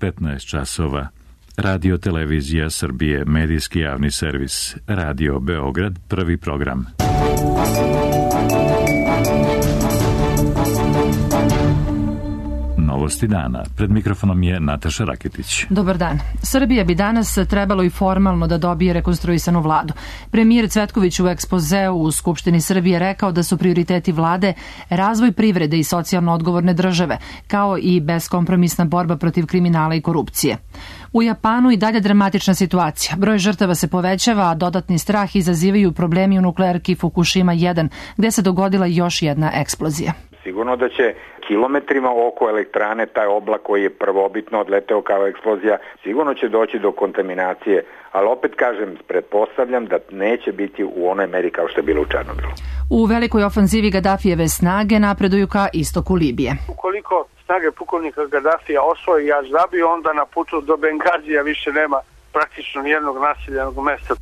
15 časova. Radio Televizija Srbije, medijski javni servis. Radio Beograd, prvi program. Novosti dana. Pred mikrofonom je Nataša Raketić. Dobar dan. Srbija bi danas trebalo i formalno da dobije rekonstruisanu vladu. Premijer Cvetković u ekspozeu u Skupštini Srbije rekao da su prioriteti vlade razvoj privrede i socijalno odgovorne države, kao i beskompromisna borba protiv kriminala i korupcije. U Japanu i dalje dramatična situacija. Broj žrtava se povećava, a dodatni strah izazivaju problemi u nuklearki Fukushima 1, gde se dogodila još jedna eksplozija. Sigurno da će kilometrima oko elektrane taj oblak koji je prvobitno odleteo kao eksplozija, sigurno će doći do kontaminacije, ali opet kažem, pretpostavljam da neće biti u onoj meri kao što je bilo u Černobilu. U velikoj ofanzivi Gadafijeve snage napreduju ka istoku Libije. Ukoliko snage pukovnika Gadafija osvoji Aždabiju, onda na putu do Bengazija više nema praktično nijednog naseljenog mesta.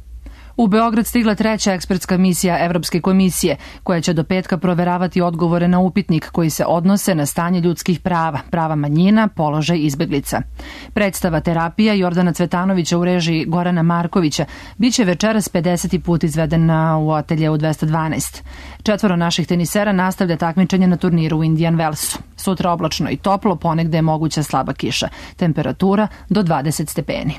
U Beograd stigla treća ekspertska misija Evropske komisije, koja će do petka proveravati odgovore na upitnik koji se odnose na stanje ljudskih prava, prava manjina, položaj izbeglica. Predstava Terapija Jordana Cvetanovića u režiji Gorana Markovića biće večeras 50. put izvedena u ateljeu 212. 4 naših tenisera nastavlja takmičenje na turniru u Indian Wellsu. Sutra oblačno i toplo, ponegde je moguća slaba kiša. Temperatura do 20 stepeni.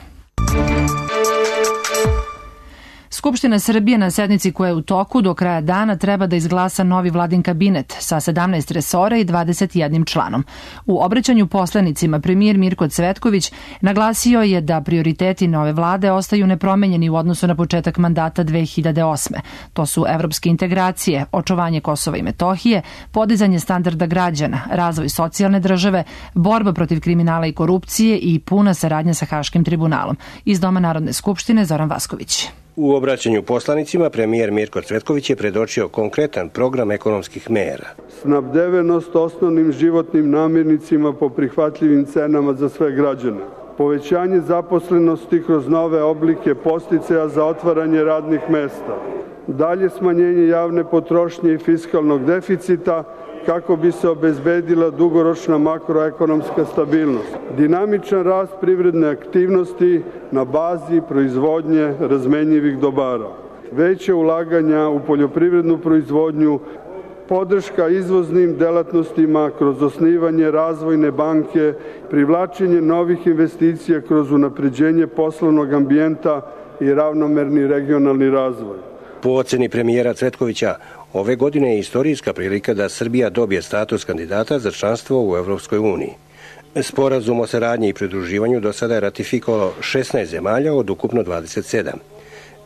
Skupština Srbije na sednici koja je u toku do kraja dana treba da izglasa novi vladin kabinet sa 17 resora i 21 članom. U obraćanju poslanicima premijer Mirko Cvetković naglasio je da prioriteti nove vlade ostaju nepromenjeni u odnosu na početak mandata 2008. To su evropske integracije, očuvanje Kosova i Metohije, podizanje standarda građana, razvoj socijalne države, borba protiv kriminala i korupcije i puna saradnja sa Haškim tribunalom. Iz Doma Narodne skupštine Zoran Vasković. U obraćanju poslanicima premijer Mirko Cvetković je predočio konkretan program ekonomskih mera. Snabdevenost osnovnim životnim namirnicima po prihvatljivim cenama za sve građane. Povećanje zaposlenosti kroz nove oblike podsticaja za otvaranje radnih mesta. Dalje smanjenje javne potrošnje i fiskalnog deficita kako bi se obezbedila dugoročna makroekonomska stabilnost. Dinamičan rast privredne aktivnosti na bazi proizvodnje razmenjivih dobara. Veće ulaganja u poljoprivrednu proizvodnju, podrška izvoznim delatnostima kroz osnivanje razvojne banke, privlačenje novih investicija kroz unapređenje poslovnog ambijenta i ravnomerni regionalni razvoj. Po oceni premijera Cvetkovića, ove godine je istorijska prilika da Srbija dobije status kandidata za članstvo u Evropskoj uniji. Sporazum o saradnji i pridruživanju do sada je ratifikovalo 16 zemalja od ukupno 27.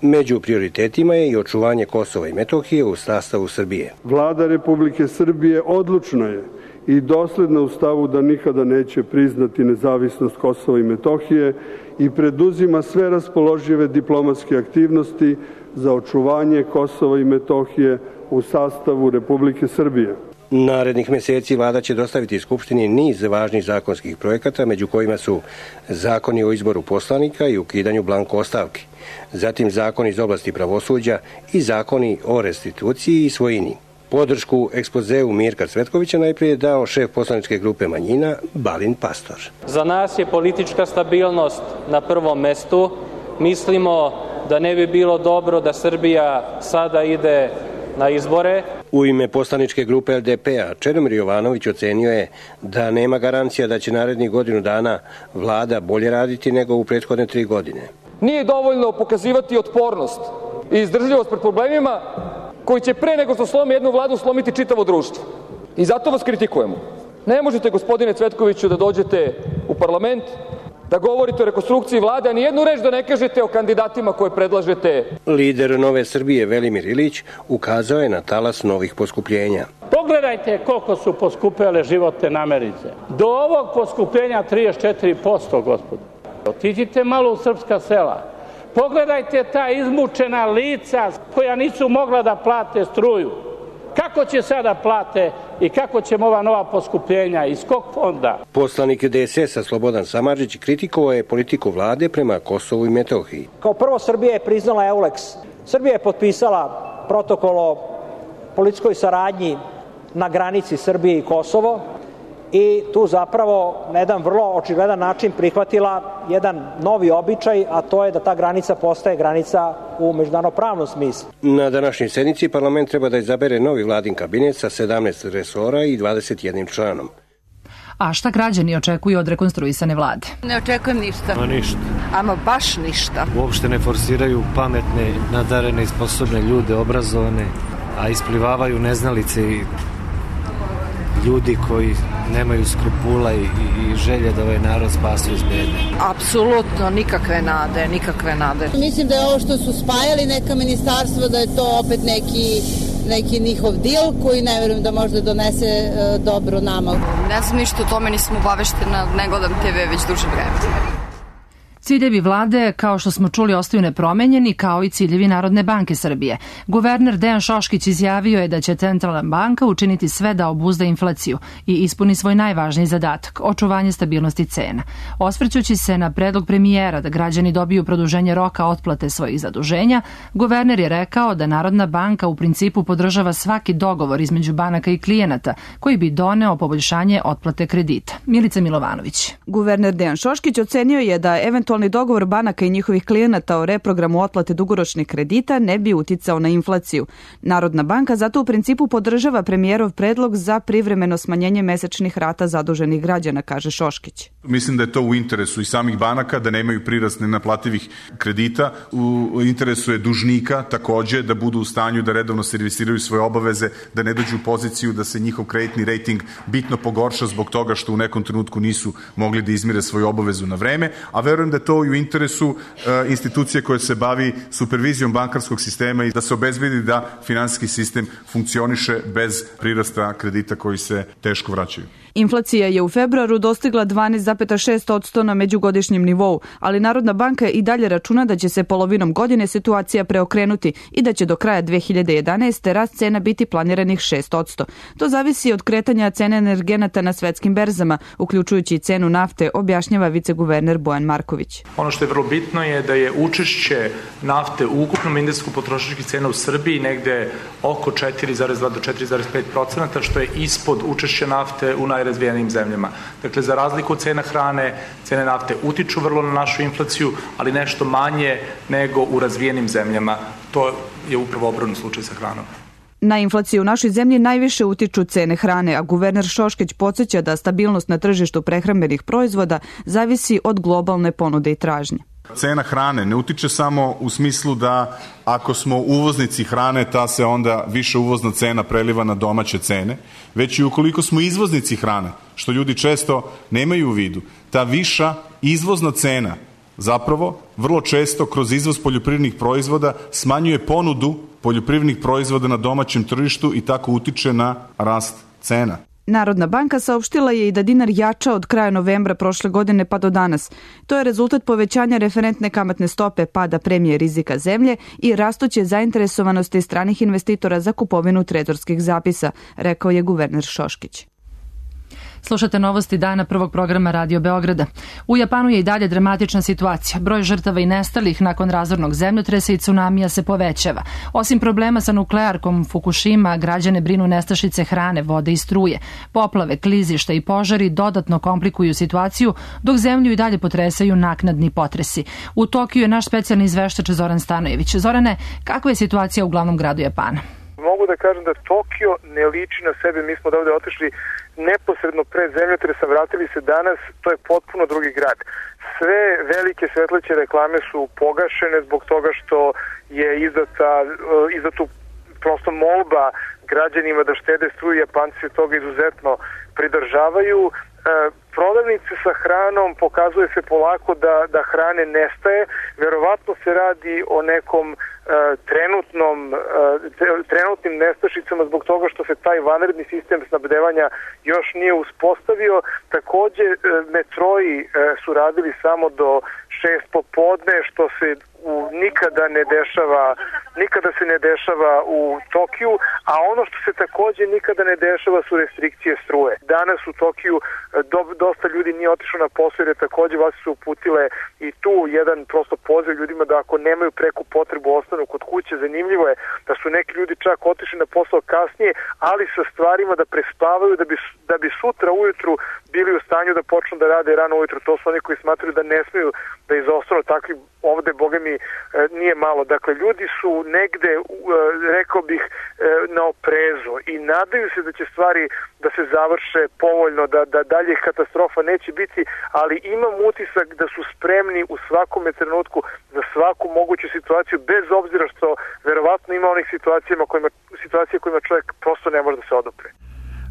Među prioritetima je i očuvanje Kosova i Metohije u sastavu Srbije. Vlada Republike Srbije odlučna je i dosledna u stavu da nikada neće priznati nezavisnost Kosova i Metohije i preduzima sve raspoložive diplomatske aktivnosti za očuvanje Kosova i Metohije u sastavu Republike Srbije. Narednih meseci vlada će dostaviti Skupštini niz važnih zakonskih projekata, među kojima su zakoni o izboru poslanika i ukidanju blanko ostavki, zatim zakoni iz oblasti pravosuđa i zakoni o restituciji i svojini. Podršku ekspozeu Mirka Cvetkovića najprije je dao šef poslaničke grupe manjina Balint Pastor. Za nas je politička stabilnost na prvom mestu. Mislimo da ne bi bilo dobro da Srbija sada ide na izbore. U ime poslaničke grupe LDP-a Čedomir Jovanović ocenio je da nema garancija da će narednih godinu dana vlada bolje raditi nego u prethodne 3 godine. Nije dovoljno pokazivati otpornost i izdržljivost pred problemima koji će pre nego što slome jednu vladu slomiti čitavo društvo. I zato vas kritikujemo. Ne možete, gospodine Cvetkoviću, da dođete u parlament, da govorite o rekonstrukciji vlade, a nijednu reč da ne kažete o kandidatima koje predlažete. Lider Nove Srbije Velimir Ilić ukazao je na talas novih poskupljenja. Pogledajte koliko su poskupele životne namirnice. Do ovog poskupljenja 34%, gospodo. Otiđite malo u srpska sela. Pogledajte ta izmučena lica koja nisu mogla da plate struju. Kako će sada plate i kako ćemo ova nova poskupljenja, iz kog fonda? Poslanik DSS-a Slobodan Samardžić kritikovao je politiku vlade prema Kosovu i Metohiji. Kao prvo, Srbija je priznala EULEX. Srbija je potpisala protokol o policijskoj saradnji na granici Srbije i Kosovo i tu zapravo na jedan vrlo očigledan način prihvatila jedan novi običaj, a to je da ta granica postaje granica u međunarodno-pravnom smislu. Na današnjoj sednici parlament treba da izabere novi vladin kabinet sa 17 resora i 21 članom. A šta građani očekuju od rekonstruisane vlade? Ne očekujem ništa. Ništa. Ama baš ništa. Uopšte ne forsiraju pametne, nadarene i sposobne ljude, obrazovane, a isplivavaju neznalice i ljudi koji nemaju skrupula i želje da ovaj narod spasu iz bede. Apsolutno nikakve nade. Mislim da je ovo što su spajali neka ministarstva, da je to opet neki njihov dil koji ne verujem da možda donese dobro nama. Ne znam ništa o tome, nisam obaveštena, ne gledam TV već duže vreme. Ciljevi vlade, kao što smo čuli, ostaju nepromenjeni, kao i ciljevi Narodne banke Srbije. Guverner Dejan Šoškić izjavio je da će Centralna banka učiniti sve da obuzda inflaciju i ispuni svoj najvažniji zadatak, očuvanje stabilnosti cena. Osvrćući se na predlog premijera da građani dobiju produženje roka otplate svojih zaduženja, guverner je rekao da Narodna banka u principu podržava svaki dogovor između banaka i klijenata koji bi doneo poboljšanje otplate kredita. Milica Milovanović. Guverner Dejan Šoškić ocenio je da eventualni dogovor banaka i njihovih klijenata o reprogramu otplate dugoročnih kredita ne bi uticao na inflaciju. Narodna banka zato u principu podržava premijerov predlog za privremeno smanjenje mesečnih rata zaduženih građana, kaže Šoškić. Mislim da je to u interesu i samih banaka da nemaju prirast nenaplativih kredita. U interesu je dužnika takođe da budu u stanju da redovno servisiraju svoje obaveze, da ne dođu u poziciju da se njihov kreditni rejting bitno pogorša zbog toga što u nekom trenutku nisu mogli da izmire svoju obavezu na vreme, a verujem da to i u interesu institucije koja se bavi supervizijom bankarskog sistema i da se obezbedi da finansijski sistem funkcioniše bez prirasta kredita koji se teško vraćaju. Inflacija je u februaru dostigla 12,6% na međugodišnjem nivou, ali Narodna banka i dalje računa da će se polovinom godine situacija preokrenuti i da će do kraja 2011. rast cena biti planiranih 6%. To zavisi od kretanja cene energenata na svetskim berzama, uključujući cenu nafte, objašnjava viceguverner Bojan Marković. Ono što je vrlo bitno je da je učešće nafte u ukupnom indeksu potrošačkih cena u Srbiji negde oko 4,2 do 4,5%, što je ispod učešća nafte u najrazvijenijim zemljama. Dakle, za razliku od cena hrane, cene nafte utiču vrlo na našu inflaciju, ali nešto manje nego u razvijenim zemljama. To je upravo obratni slučaj sa hranom. Na inflaciju u našoj zemlji najviše utiču cene hrane, a guverner Šoškić podsjeća da stabilnost na tržištu prehrambenih proizvoda zavisi od globalne ponude i tražnje. Cena hrane ne utiče samo u smislu da ako smo uvoznici hrane, ta se onda više uvozna cena preliva na domaće cene, već i ukoliko smo izvoznici hrane, što ljudi često nemaju u vidu, ta viša izvozna cena zapravo vrlo često kroz izvoz poljoprivrednih proizvoda smanjuje ponudu poljoprivrednih proizvoda na domaćem tržištu i tako utiče na rast cena. Narodna banka saopštila je i da dinar jača od kraja novembra prošle godine pa do danas. To je rezultat povećanja referentne kamatne stope, pada premije rizika zemlje i rastuće zainteresovanosti stranih investitora za kupovinu trezorskih zapisa, rekao je guverner Šoškić. Slušate novosti dana prvog programa Radio Beograda. U Japanu je i dalje dramatična situacija. Broj žrtava i nestalih nakon razornog zemljotresa i tsunamija se povećava. Osim problema sa nuklearkom Fukushima, građane brinu nestašice hrane, vode i struje. Poplave, klizišta i požari dodatno komplikuju situaciju, dok zemlju i dalje potresaju naknadni potresi. U Tokiju je naš specijalni izveštač Zoran Stanojević. Zorane, kakva je situacija u glavnom gradu Japana? Mogu da kažem da Tokio ne liči na sebe. Mi smo da ovde otišli neposredno pred zemljotresa, vratili se danas, to je potpuno drugi grad. Sve velike svetleće reklame su pogašene zbog toga što je izdato prosto molba građanima da štede struju. Japanci se toga izuzetno pridržavaju. Prodavnice sa hranom pokazuje se polako da hrane nestaje. Verovatno se radi o nekom trenutnim nestašicama zbog toga što se taj vanredni sistem snabdevanja još nije uspostavio. Takođe, metroji su radili samo do 6 popodne, što se nikada se ne dešava u Tokiju, a ono što se takođe nikada ne dešava su restrikcije struje. Danas u Tokiju dosta ljudi nije otišlo na posao jer je takođe vlasti su uputile i tu jedan prosto poziv ljudima da ako nemaju preku potrebu ostanu kod kuće. Zanimljivo je da su neki ljudi čak otišli na posao kasnije, ali sa stvarima da prespavaju da bi sutra ujutru bili u stanju da počnu da rade rano ujutru. To su oni koji smatraju da ne smeju da izostanu takvi, ovde boga mi nije malo. Dakle, ljudi su negde, rekao bih, na oprezu i nadaju se da će stvari da se završe povoljno, da dalje katastrofa neće biti, ali imam utisak da su spremni u svakome trenutku za svaku moguću situaciju, bez obzira što verovatno ima onih situacija kojima čovjek prosto ne može da se odupre.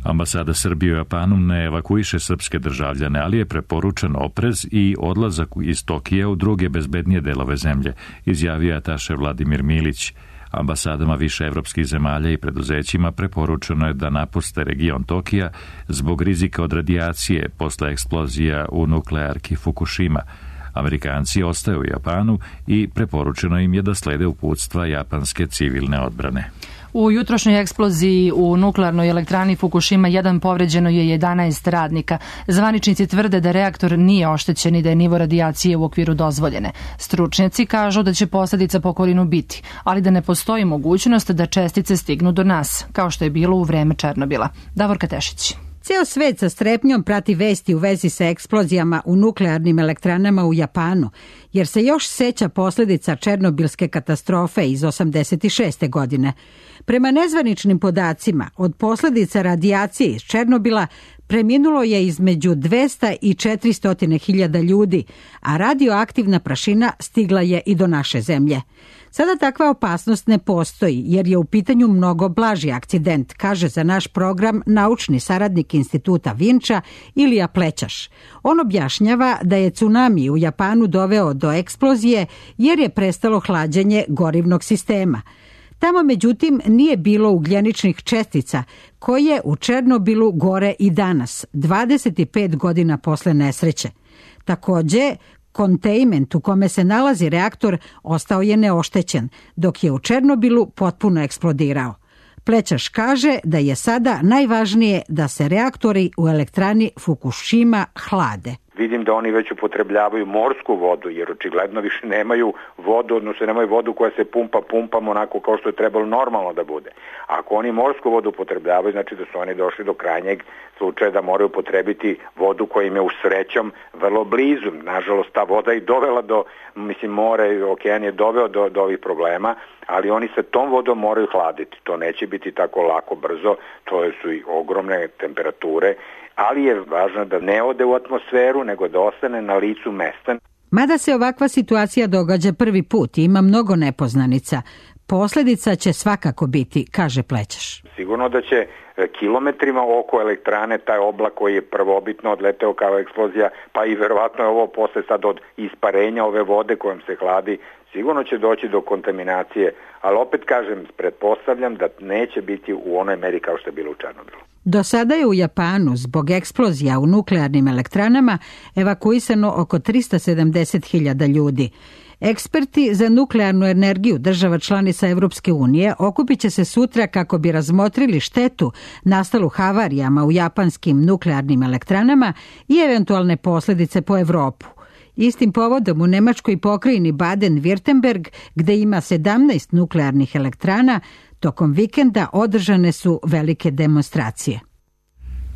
Ambasada Srbije u Japanu ne evakuiše srpske državljane, ali je preporučen oprez i odlazak iz Tokija u druge bezbednije delove zemlje, izjavio ataše Vladimir Milić. Ambasadama više evropskih zemalja i preduzećima preporučeno je da napuste region Tokija zbog rizika od radijacije posle eksplozija u nuklearki Fukushima. Amerikanci ostaju u Japanu i preporučeno im je da slede uputstva japanske civilne odbrane. U jutrošnjoj eksploziji u nuklearnoj elektrani Fukushima 1 povređeno je 11 radnika. Zvaničnici tvrde da reaktor nije oštećen i da je nivo radijacije u okviru dozvoljene. Stručnjaci kažu da će posledica po okolinu biti, ali da ne postoji mogućnost da čestice stignu do nas, kao što je bilo u vreme Černobila. Davorka Tešić. Ceo svet sa strepnjom prati vesti u vezi sa eksplozijama u nuklearnim elektranama u Japanu, jer se još seća posledica černobilske katastrofe iz 1986. godine. Prema nezvaničnim podacima, od posledica radijacije iz Černobila preminulo je između 200 i 400 hiljada ljudi, a radioaktivna prašina stigla je i do naše zemlje. Sada takva opasnost ne postoji jer je u pitanju mnogo blaži akcident, kaže za naš program naučni saradnik Instituta Vinča Ilija Plećaš. On objašnjava da je tsunami u Japanu doveo do eksplozije jer je prestalo hlađenje gorivnog sistema. Tamo, međutim, nije bilo ugljeničnih čestica koje u Černobilu gore i danas, 25 godina posle nesreće. Takođe, kontejment u kome se nalazi reaktor ostao je neoštećen, dok je u Černobilu potpuno eksplodirao. Plećaš kaže da je sada najvažnije da se reaktori u elektrani Fukushima hlade. Vidim da oni već upotrebljavaju morsku vodu, jer očigledno više nemaju vodu, odnosno nemaju vodu koja se pumpam onako kao što je trebalo normalno da bude. Ako oni morsku vodu upotrebljavaju, znači da su oni došli do krajnjeg slučaja da moraju upotrebiti vodu koja im je u srećom vrlo blizu. Nažalost, ta voda je dovela more i okean je doveo do ovih problema, ali oni sa tom vodom moraju hladiti. To neće biti tako lako, brzo, to su i ogromne temperature, ali je važno da ne ode u atmosferu, nego da ostane na licu mesta. Mada se ovakva situacija događa prvi put i ima mnogo nepoznanica, posledica će svakako biti, kaže Plećaš. Sigurno da će kilometrima oko elektrane taj oblak koji je prvobitno odleteo kao eksplozija, pa i verovatno je ovo posle sad od isparenja ove vode kojom se hladi, sigurno će doći do kontaminacije, ali opet kažem, pretpostavljam da neće biti u onoj meri kao što je bilo u Černobilu. Do sada je u Japanu zbog eksplozija u nuklearnim elektranama evakuisano oko 370.000 ljudi. Eksperti za nuklearnu energiju država članica Evropske unije okupit će se sutra kako bi razmotrili štetu nastalu havarijama u japanskim nuklearnim elektranama i eventualne posledice po Evropu. Istim povodom u nemačkoj pokrajini Baden-Württemberg, gde ima 17 nuklearnih elektrana, tokom vikenda održane su velike demonstracije.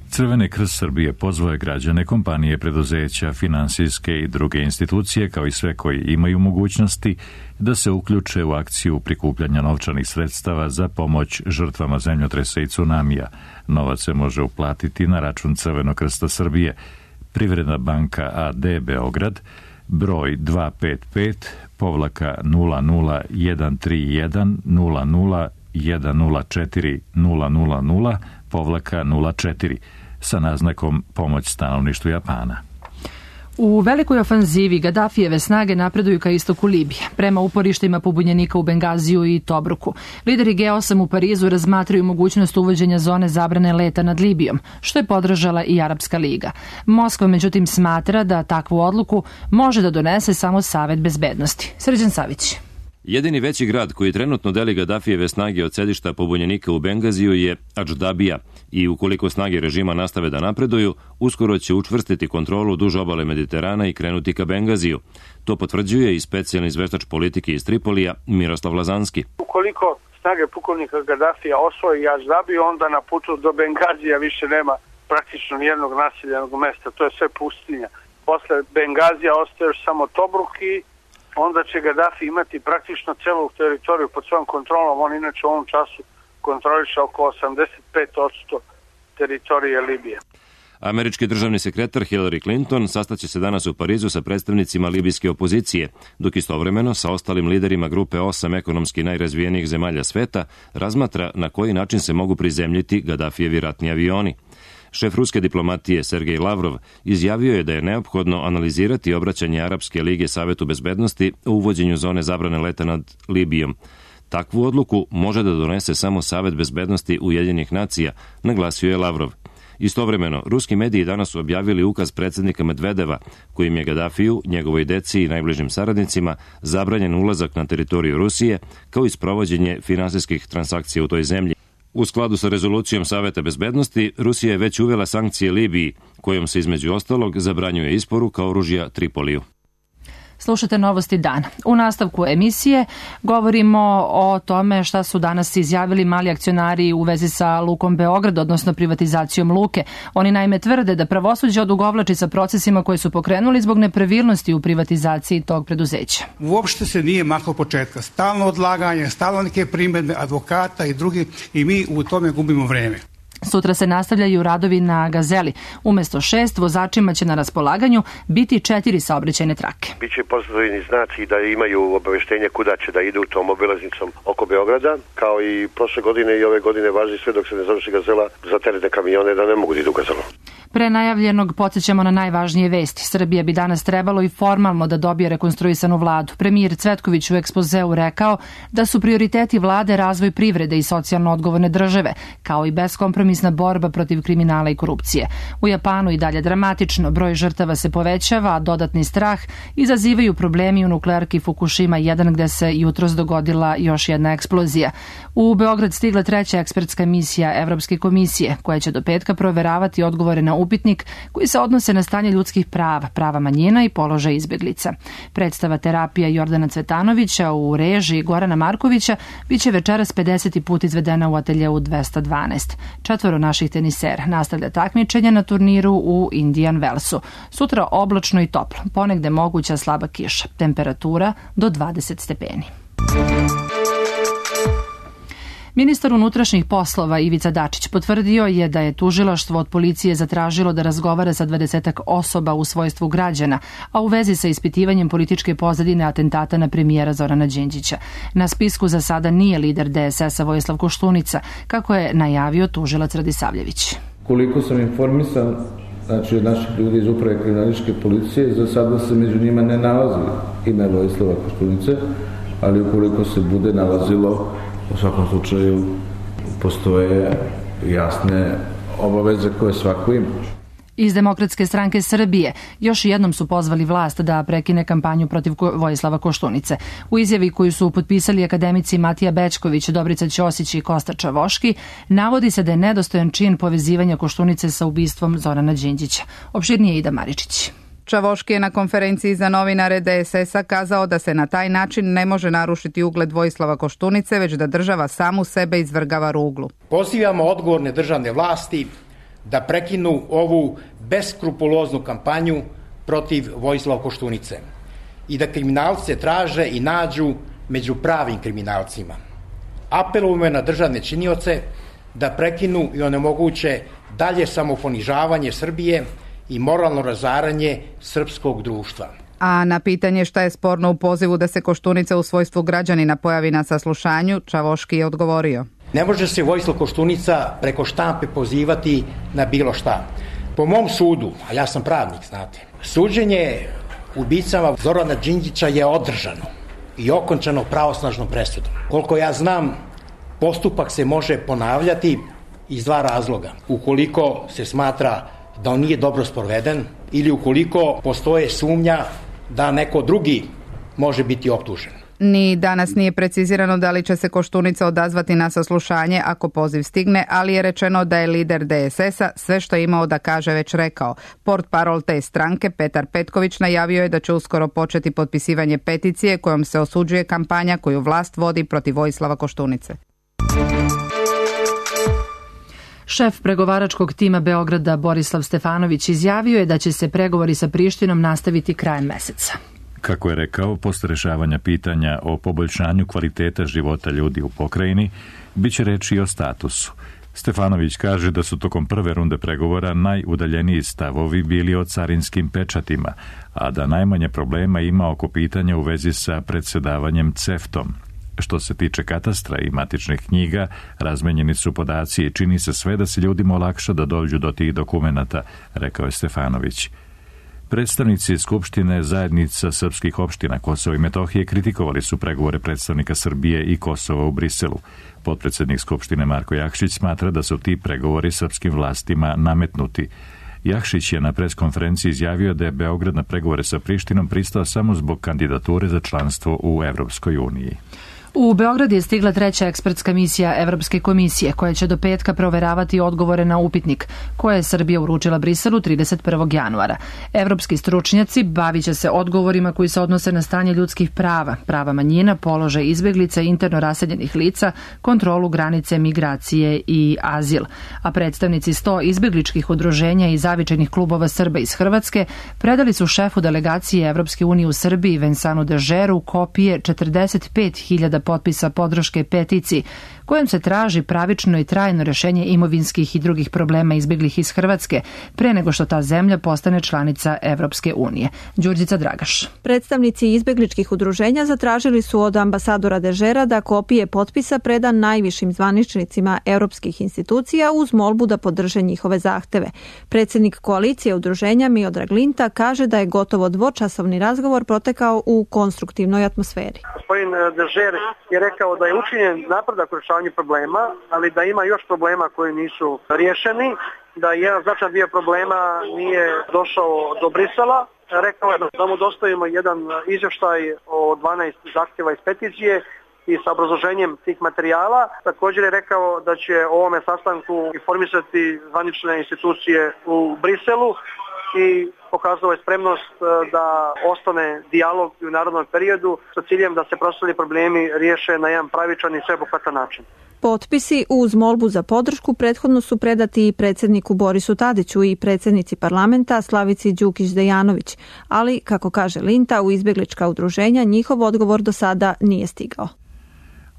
Crveni krst Srbije pozvao je građane, kompanije, preduzeća, finansijske i druge institucije, kao i sve koji imaju mogućnosti, da se uključe u akciju prikupljanja novčanih sredstava za pomoć žrtvama zemljotresa i tsunamija. Novac se može uplatiti na račun Crvenog krsta Srbije. Privredna banka AD Beograd, broj 255-00131-00-104-000-04 sa naznakom pomoć stanovništvu Japana. U velikoj ofanzivi Gadafijeve snage napreduju ka istoku Libije, prema uporištima pobunjenika u Bengaziju i Tobruku. Lideri G8 u Parizu razmatraju mogućnost uvođenja zone zabrane leta nad Libijom, što je podržala i Arapska liga. Moskva međutim smatra da takvu odluku može da donese samo Savet bezbednosti. Srđan Savić. Jedini veći grad koji trenutno deli Gadafijeve snage od sedišta pobunjenika u Bengaziju je Adždabija i ukoliko snage režima nastave da napreduju, uskoro će učvrstiti kontrolu duž obale Mediterana i krenuti ka Bengaziju. To potvrđuje i specijalni izveštač politike iz Tripolija Miroslav Lazanski. Ukoliko snage pukovnika Gadafija osvoji Adždabiju, onda na putu do Bengazija više nema praktično nijednog naseljenog mesta. To je sve pustinja. Posle Bengazija ostaje još samo Tobruk i onda će Gaddafi imati praktično celu teritoriju pod svojom kontrolom. On inače u ovom času kontroliše oko 85% teritorije Libije. Američki državni sekretar Hillary Clinton sastaće se danas u Parizu sa predstavnicima libijske opozicije, dok istovremeno sa ostalim liderima grupe 8 ekonomski najrazvijenijih zemalja sveta razmatra na koji način se mogu prizemljiti Gaddafijevi ratni avioni. Šef ruske diplomatije Sergej Lavrov izjavio je da je neophodno analizirati obraćanje Arapske lige Savetu bezbednosti o uvođenju zone zabrane leta nad Libijom. Takvu odluku može da donese samo Savet bezbednosti Ujedinjenih nacija, naglasio je Lavrov. Istovremeno, ruski mediji danas su objavili ukaz predsjednika Medvedeva, kojim je Gaddafiju, njegovoj deci i najbližim saradnicima zabranjen ulazak na teritoriju Rusije, kao i sprovođenje finansijskih transakcija u toj zemlji. U skladu sa rezolucijom Saveta bezbednosti, Rusija je već uvela sankcije Libiji, kojom se između ostalog zabranjuje isporuka oružja Tripoliju. Slušate Novosti dana. U nastavku emisije govorimo o tome šta su danas izjavili mali akcionari u vezi sa Lukom Beograd, odnosno privatizacijom Luke. Oni naime tvrde da pravosuđe odugovlači sa procesima koje su pokrenuli zbog nepravilnosti u privatizaciji tog preduzeća. Uopšte se nije maklo početka. Stalno odlaganje, stalno neke primedbe advokata i drugi i mi u tome gubimo vreme. Sutra se nastavljaju radovi na Gazeli. Umesto 6 vozačima će na raspolaganju biti 4 saobraćajne trake. Biće postavljeni znaci da imaju obaveštenje kuda će da idu tom obilaznicom oko Beograda, kao i prošle godine i ove godine važi sve dok se ne završi Gazela za teretne kamione da ne mogu da idu Gazelu. Pre najavljenog podsjećamo na najvažnije vesti. Srbija bi danas trebalo i formalno da dobije rekonstruisanu vladu. Premijer Cvetković u ekspozeu rekao da su prioriteti vlade razvoj privrede i socijalno odgovorne države, kao i beskompromisna borba protiv kriminala i korupcije. U Japanu i dalje dramatično, broj žrtava se povećava, a dodatni strah izazivaju problemi u nuklearki Fukushima 1 gde se jutros dogodila još jedna eksplozija. U Beograd stigla 3. ekspertska misija Evropske komisije, koja će do petka proveravati odgovore na upitnik koji se odnose na stanje ljudskih prava, prava manjina i položaj izbjeglica. Predstava Terapija Jordana Cvetanovića u režiji Gorana Markovića biće večeras 50. put izvedena u ateljeu 212. 4 naših tenisera nastavlja takmičenje na turniru u Indian Wellsu. Sutra oblačno i toplo, ponegde moguća slaba kiša. Temperatura do 20 stepeni. Ministar unutrašnjih poslova Ivica Dačić potvrdio je da je tužilaštvo od policije zatražilo da razgovara sa 20 osoba u svojstvu građana, a u vezi sa ispitivanjem političke pozadine atentata na premijera Zorana Đinđića. Na spisku za sada nije lider DSS-a Vojislav Koštunica, kako je najavio tužilac Radisavljević. Koliko sam informisan, znači od naših ljudi iz uprave kriminalističke policije, za sada se među njima ne nalazi ime Vojislava Koštunice, ali ukoliko se bude nalazilo, u svakom slučaju postoje jasne obaveze koje svako ima. Iz Demokratske stranke Srbije još jednom su pozvali vlast da prekine kampanju protiv Vojislava Koštunice. U izjavi koju su potpisali akademici Matija Bećković, Dobrica Ćosić i Kosta Čavoški, navodi se da je nedostojan čin povezivanja Koštunice sa ubistvom Zorana Đinđića. Opširnije Ida Maričić. Čavoški je na konferenciji za novinare DSS-a kazao da se na taj način ne može narušiti ugled Vojislava Koštunice, već da država samu sebe izvrgava ruglu. Pozivamo odgovorne državne vlasti da prekinu ovu beskrupuloznu kampanju protiv Vojislava Koštunice i da kriminalce traže i nađu među pravim kriminalcima. Apelujemo na državne činioce da prekinu i onemoguće dalje samoponižavanje Srbije i moralno razaranje srpskog društva. A na pitanje šta je sporno u pozivu da se Koštunica u svojstvu građanina pojavi na saslušanju, Čavoški je odgovorio. Ne može se Vojislav Koštunica preko štampe pozivati na bilo šta. Po mom sudu, a ja sam pravnik, znate, Suđenje ubicama Zorana Đinđića je održano i okončano pravosnažnom presudom. Koliko ja znam, postupak se može ponavljati iz dva razloga. Ukoliko se smatra da on nije dobro sproveden ili ukoliko postoje sumnja da neko drugi može biti optužen. Ni danas nije precizirano da li će se Koštunica odazvati na saslušanje ako poziv stigne, ali je rečeno da je lider DSS-a sve što je imao da kaže već rekao. Portparol te stranke Petar Petković najavio je da će uskoro početi potpisivanje peticije kojom se osuđuje kampanja koju vlast vodi protiv Vojislava Koštunice. Šef pregovaračkog tima Beograda Borislav Stefanović izjavio je da će se pregovori sa Prištinom nastaviti krajem meseca. Kako je rekao, posle rešavanja pitanja o poboljšanju kvaliteta života ljudi u pokrajini, bit će reči i o statusu. Stefanović kaže da su tokom prve runde pregovora najudaljeniji stavovi bili o carinskim pečatima, a da najmanje problema ima oko pitanja u vezi sa predsedavanjem CEFTA-om. Što se tiče katastra i matičnih knjiga, razmenjeni su podaci i čini se sve da se ljudima olakša da dođu do tih dokumenata, rekao je Stefanović. Predstavnici Skupštine zajednica srpskih opština Kosova i Metohije kritikovali su pregovore predstavnika Srbije i Kosova u Briselu. Potpredsednik Skupštine Marko Jakšić smatra da su ti pregovori srpskim vlastima nametnuti. Jakšić je na preskonferenciji izjavio da je Beograd na pregovore sa Prištinom pristao samo zbog kandidature za članstvo u Evropskoj uniji. U Beograd je stigla treća ekspertska misija Evropske komisije koja će do petka proveravati odgovore na upitnik koje je Srbija uručila Briselu 31. januara. Evropski stručnjaci bavit će se odgovorima koji se odnose na stanje ljudskih prava, prava manjina, položaj izbeglica i interno raseljenih lica, kontrolu granice, migracije i azil. A predstavnici 100 izbegličkih udruženja i zavičajnih klubova Srba iz Hrvatske predali su šefu delegacije Evropske unije u Srbiji Vensanu Dežeru kopije 45.000 potpisa podrške peticiji kojom se traži pravično i trajno rešenje imovinskih i drugih problema izbeglih iz Hrvatske pre nego što ta zemlja postane članica Evropske unije. Đurđica Dragaš. Predstavnici izbegličkih udruženja zatražili su od ambasadora Dežera da kopije potpisa preda najvišim zvaničnicima europskih institucija uz molbu da podrže njihove zahteve. Predsjednik koalicije udruženja Miodrag Linta kaže da je gotovo dvočasovni razgovor protekao u konstruktivnoj atmosferi. Gospodin Dežer je rekao da je učinjen napredak u rješavanju problema, ali da ima još problema koji nisu riješeni, da jedan značajan dio problema nije došao do Brisela. Rekao je da mu dostavimo jedan izvještaj o 12 zahtjeva iz peticije i sa obrazloženjem tih materijala. Također je rekao da će o ovome sastanku informisati zvanične institucije u Briselu i pokazao je spremnost da ostane dijalog u narednom periodu sa ciljem da se preostali problemi riješe na jedan pravičan i sveobuhvatan način. Potpisi uz molbu za podršku prethodno su predati i predsjedniku Borisu Tadiću i predsjednici parlamenta Slavici Đukić-Dejanović, ali, kako kaže Linta, u izbjeglička udruženja njihov odgovor do sada nije stigao.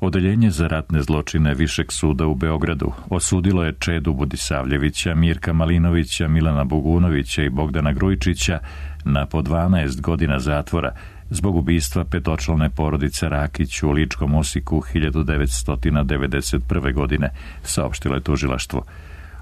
Odeljenje za ratne zločine Višeg suda u Beogradu osudilo je Čedu Budisavljevića, Mirka Malinovića, Milana Bogunovića i Bogdana Grujčića na po 12 godina zatvora zbog ubistva petočlane porodice Rakić u Ličkom Osiku 1991. godine, saopštilo je tužilaštvo.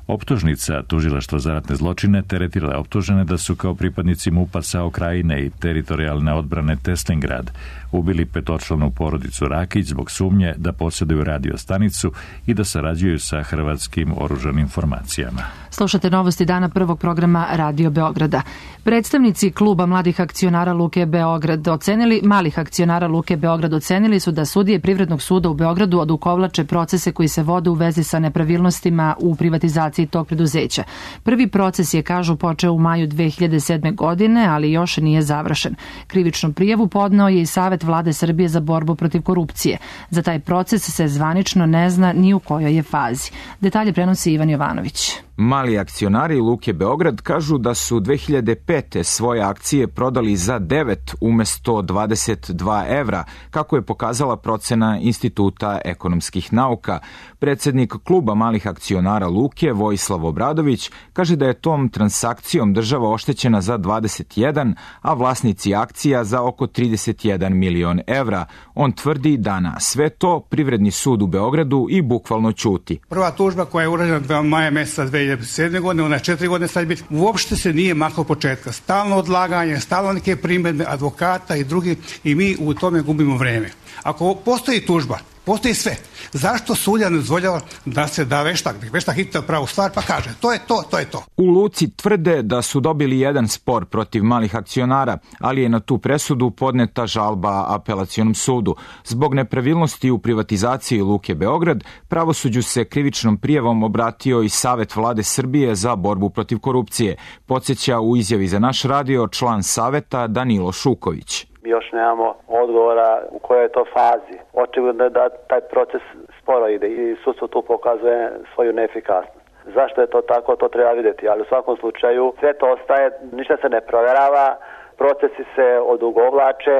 Optužnica tužilaštva za ratne zločine teretila je optužene da su kao pripadnici MUP-a SAO Krajine i teritorijalne odbrane Teslingrad ubili petočlanu porodicu Rakić zbog sumnje da posjeduju radio stanicu i da sarađuju sa hrvatskim oružanim formacijama. Slušate novosti dana prvog programa Radio Beograda. Predstavnici kluba mladih akcionara Luke Beograd ocenili su da sudije Privrednog suda u Beogradu odukovlače procese koji se vode u vezi sa nepravilnostima u privatizaciji tog preduzeća. Prvi proces je, kažu, počeo u maju 2007. godine, ali još nije završen. Krivičnu prijavu podneo je i Savet Vlade Srbije za borbu protiv korupcije. Za taj proces se zvanično ne zna ni u kojoj je fazi. Detalje prenosi Ivan Jovanović. Mali akcionari Luke Beograd kažu da su 2005. svoje akcije prodali za 9 umesto 22 evra, kako je pokazala procena Instituta ekonomskih nauka. Predsjednik kluba malih akcionara Luke, Vojislav Obradović, kaže da je tom transakcijom država oštećena za 21, a vlasnici akcija za oko 31 milion evra. On tvrdi da na sve to Privredni sud u Beogradu i bukvalno ćuti. Prva tužba koja je urađena maja meseca 2005. 2007. godine, ona je 4 godine sad biti. Uopšte se nije maklo početka. Stalno odlaganje, stalno neke primedbe advokata i drugi i mi u tome gubimo vreme. Ako postoji tužba, postoji sve. Zašto sudija ne dozvoljava da se da veštak? Veštak hita pravu stvar pa kaže to je to, to je to. U Luci tvrde da su dobili jedan spor protiv malih akcionara, ali je na tu presudu podneta žalba apelacionom sudu. Zbog nepravilnosti u privatizaciji Luke Beograd, pravosuđu se krivičnom prijavom obratio i Savet Vlade Srbije za borbu protiv korupcije. Podsjeća u izjavi za naš radio član Saveta Danilo Šuković. Mi još nemamo odgovora u kojoj je to fazi. Očigledno je da taj proces sporo ide i sudstvo tu pokazuje svoju neefikasnost. Zašto je to tako, to treba vidjeti, ali u svakom slučaju sve to ostaje, ništa se ne provjerava, procesi se odugovlače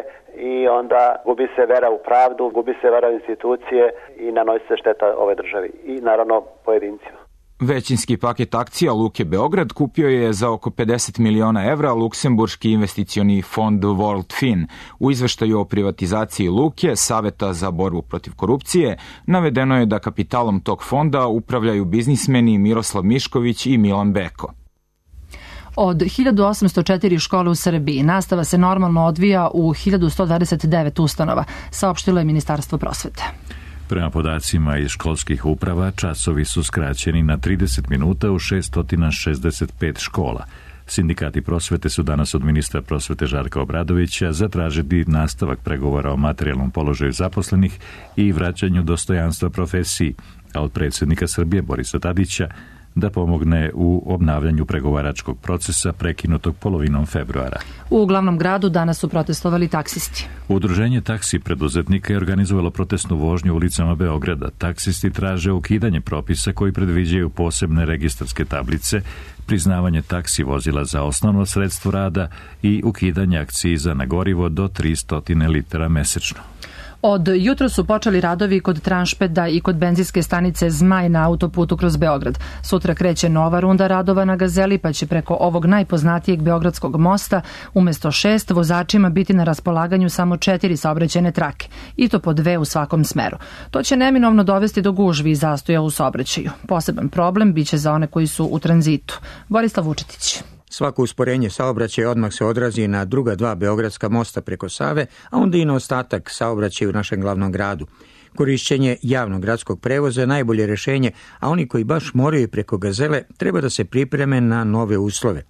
i onda gubi se vera u pravdu, gubi se vera u institucije i nanosi se šteta ove državi i naravno pojedincima. Većinski paket akcija Luke Beograd kupio je za oko 50 miliona evra luksemburški investicioni fond World Fin. U izveštaju o privatizaciji Luke, Saveta za borbu protiv korupcije, navedeno je da kapitalom tog fonda upravljaju biznismeni Miroslav Mišković i Milan Beko. Od 1804 škole u Srbiji nastava se normalno odvija u 1129 ustanova, saopštilo je Ministarstvo prosvete. Prema podacima iz školskih uprava, časovi su skraćeni na 30 minuta u 665 škola. Sindikati prosvete su danas od ministra prosvete Žarka Obradovića zatražili nastavak pregovora o materijalnom položaju zaposlenih i vraćanju dostojanstva profesiji, a od predsjednika Srbije Borisa Tadića da pomogne u obnavljanju pregovaračkog procesa prekinutog polovinom februara. U glavnom gradu danas su protestovali taksisti. Udruženje taksi preduzetnika je organizovalo protestnu vožnju ulicama Beograda. Taksisti traže ukidanje propisa koji predviđaju posebne registarske tablice, priznavanje taksi vozila za osnovno sredstvo rada i ukidanje akciza na gorivo do 300 litara mesečno. Od jutro su počeli radovi kod Tranšpeda i kod benzinske stanice Zmaj na autoputu kroz Beograd. Sutra kreće nova runda radova na Gazeli, pa će preko ovog najpoznatijeg beogradskog mosta umjesto 6 vozačima biti na raspolaganju samo 4 saobraćajne trake, i to po 2 u svakom smeru. To će neminovno dovesti do gužvi i zastoja u saobraćaju. Poseban problem biće za one koji su u tranzitu. Borislav Vučetić. Svako usporenje saobraćaja odmah se odrazi na druga 2 beogradska mosta preko Save, a onda i na ostatak saobraćaja u našem glavnom gradu. Korišćenje javnog gradskog prevoza je najbolje rješenje, a oni koji baš moraju preko Gazele treba da se pripreme na nove uslove.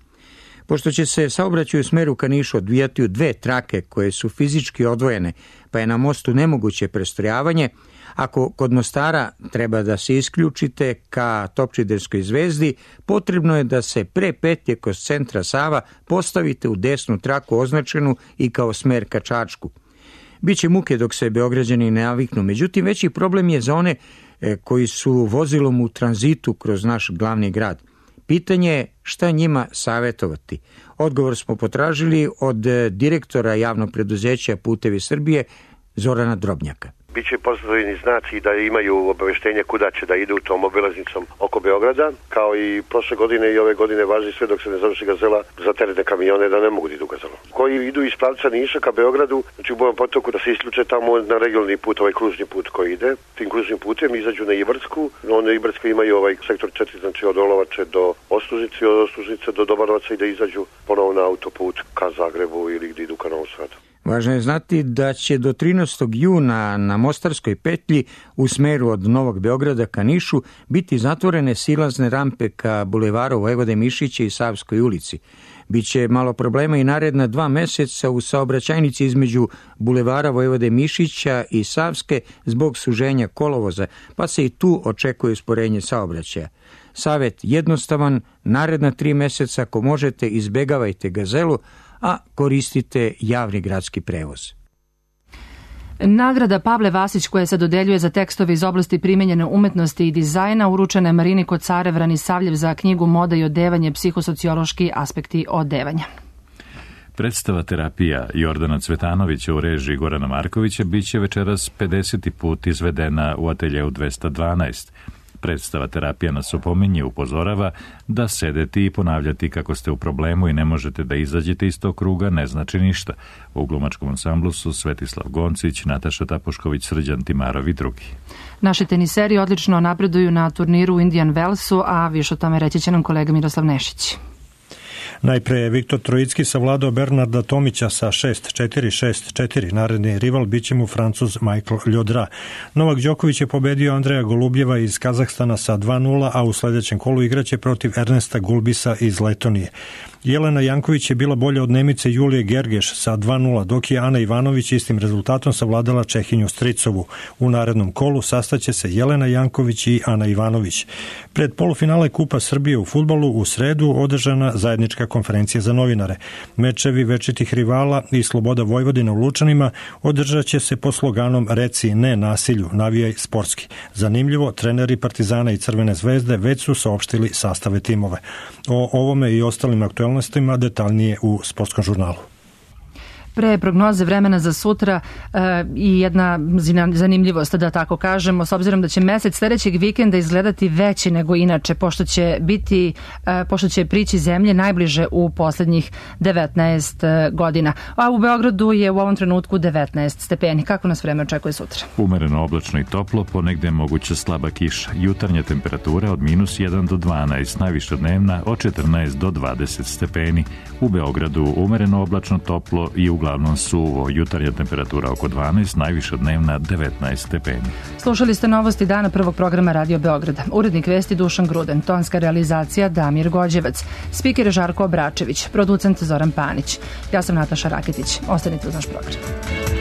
Pošto će se saobraćaj u smeru ka Nišu odvijati u 2 trake koje su fizički odvojene, pa je na mostu nemoguće prestrojavanje, ako kod Mostara treba da se isključite ka Topčiderskoj zvezdi, potrebno je da se pre petlje kroz centra Sava postavite u desnu traku označenu i kao smer ka Čačku. Biće muke dok se Beograđani ne naviknu, međutim veći problem je za one koji su vozilom u tranzitu kroz naš glavni grad. Pitanje je šta njima savjetovati. Odgovor smo potražili od direktora javnog preduzeća Putevi Srbije Zorana Drobnjaka. Biće postavljeni znaci da imaju obaveštenje kuda će da idu tom obilaznicom oko Beograda, kao i prošle godine i ove godine važi sve dok se ne završi Gazela za teretne kamione da ne mogu da idu Gazelom. Koji idu iz pravca Niša ka Beogradu, znači u Bojan potoku da se isključe tamo na regionalni put, ovaj kružni put koji ide. Tim kružnim putem izađu na Ibarsku, onda Ibarska imaju ovaj sektor 4, znači od Olovače do Ostružnice, od Ostružnice do Dobanovaca i da izađu ponovo na autoput ka Zagrebu ili gdje idu ka Novom Sadu. Važno je znati da će do 13. juna na Mostarskoj petlji u smeru od Novog Beograda ka Nišu biti zatvorene silazne rampe ka bulevaru Vojvode Mišića i Savskoj ulici. Biće malo problema i naredna 2 meseca u saobraćajnici između bulevara Vojvode Mišića i Savske zbog suženja kolovoza, pa se i tu očekuje usporenje saobraćaja. Savet jednostavan, naredna 3 meseca ako možete izbegavajte Gazelu, a koristite javni gradski prevoz. Nagrada Pavle Vasić koja se dodeljuje za tekstove iz oblasti primenjene umetnosti i dizajna uručena je Marini Kocarev Ranisavljev za knjigu Moda i odevanje, psihosociološki aspekti odevanja. Predstava Terapija Jordana Cvetanovića u režiji Gorana Markovića biće večeras 50. put izvedena u ateljeu 212. Predstava Terapija nas opominje, upozorava da sedeti i ponavljati kako ste u problemu i ne možete da izađete iz tog kruga ne znači ništa. U glumačkom ansamblu su Svetislav Goncić, Nataša Tapušković, Srđan Timarov i drugi. Naši teniseri odlično napreduju na turniru u Indian Wellsu, a više o tome reći će nam kolega Miroslav Nešić. Najpre je Viktor Trojicki savladao Bernarda Tomića sa 6-4, 6-4. Naredni rival biće mu Francuz Michael Ljodra. Novak Đoković je pobedio Andreja Golubjeva iz Kazahstana sa 2-0, a u sledećem kolu igraće protiv Ernesta Gulbisa iz Letonije. Jelena Janković je bila bolja od Nemice Julije Gergeš sa 2-0, dok je Ana Ivanović istim rezultatom savladala Čehinju Stricovu. U narednom kolu sastaće se Jelena Janković i Ana Ivanović. Pred polufinale Kupa Srbije u fudbalu u sredu održana zajednička konferencija za novinare. Mečevi večitih rivala i Sloboda Vojvodina u Lučanima održat će se pod sloganom Reci ne nasilju, navijaj sportski. Zanimljivo, treneri Partizana i Crvene zvezde već su saopštili sastave timove. O ovome i ostalim aktualnostima detaljnije u Sportskom žurnalu. Pre prognoze vremena za sutra i jedna zanimljivost, da tako kažemo, s obzirom da će mesec sledećeg vikenda izgledati veći nego inače, pošto će prići zemlje najbliže u poslednjih 19 godina. A u Beogradu je u ovom trenutku 19 stepeni. Kako nas vreme očekuje sutra? Umereno oblačno i toplo, ponegde je moguća slaba kiša. Jutarnja temperatura od -1 do 12, najviša dnevna od 14 do 20 stepeni. U Beogradu umereno oblačno, toplo i uglavnom suvo. Jutarnja temperatura oko 12, najviša dnevna 19 stepeni. Slušali ste novosti dana prvog programa Radio Beograda. Urednik vesti Dušan Gruden, tonska realizacija Damir Gođevac, spiker Žarko Obračević, producent Zoran Panić. Ja sam Nataša Raketić. Ostanite uz naš program.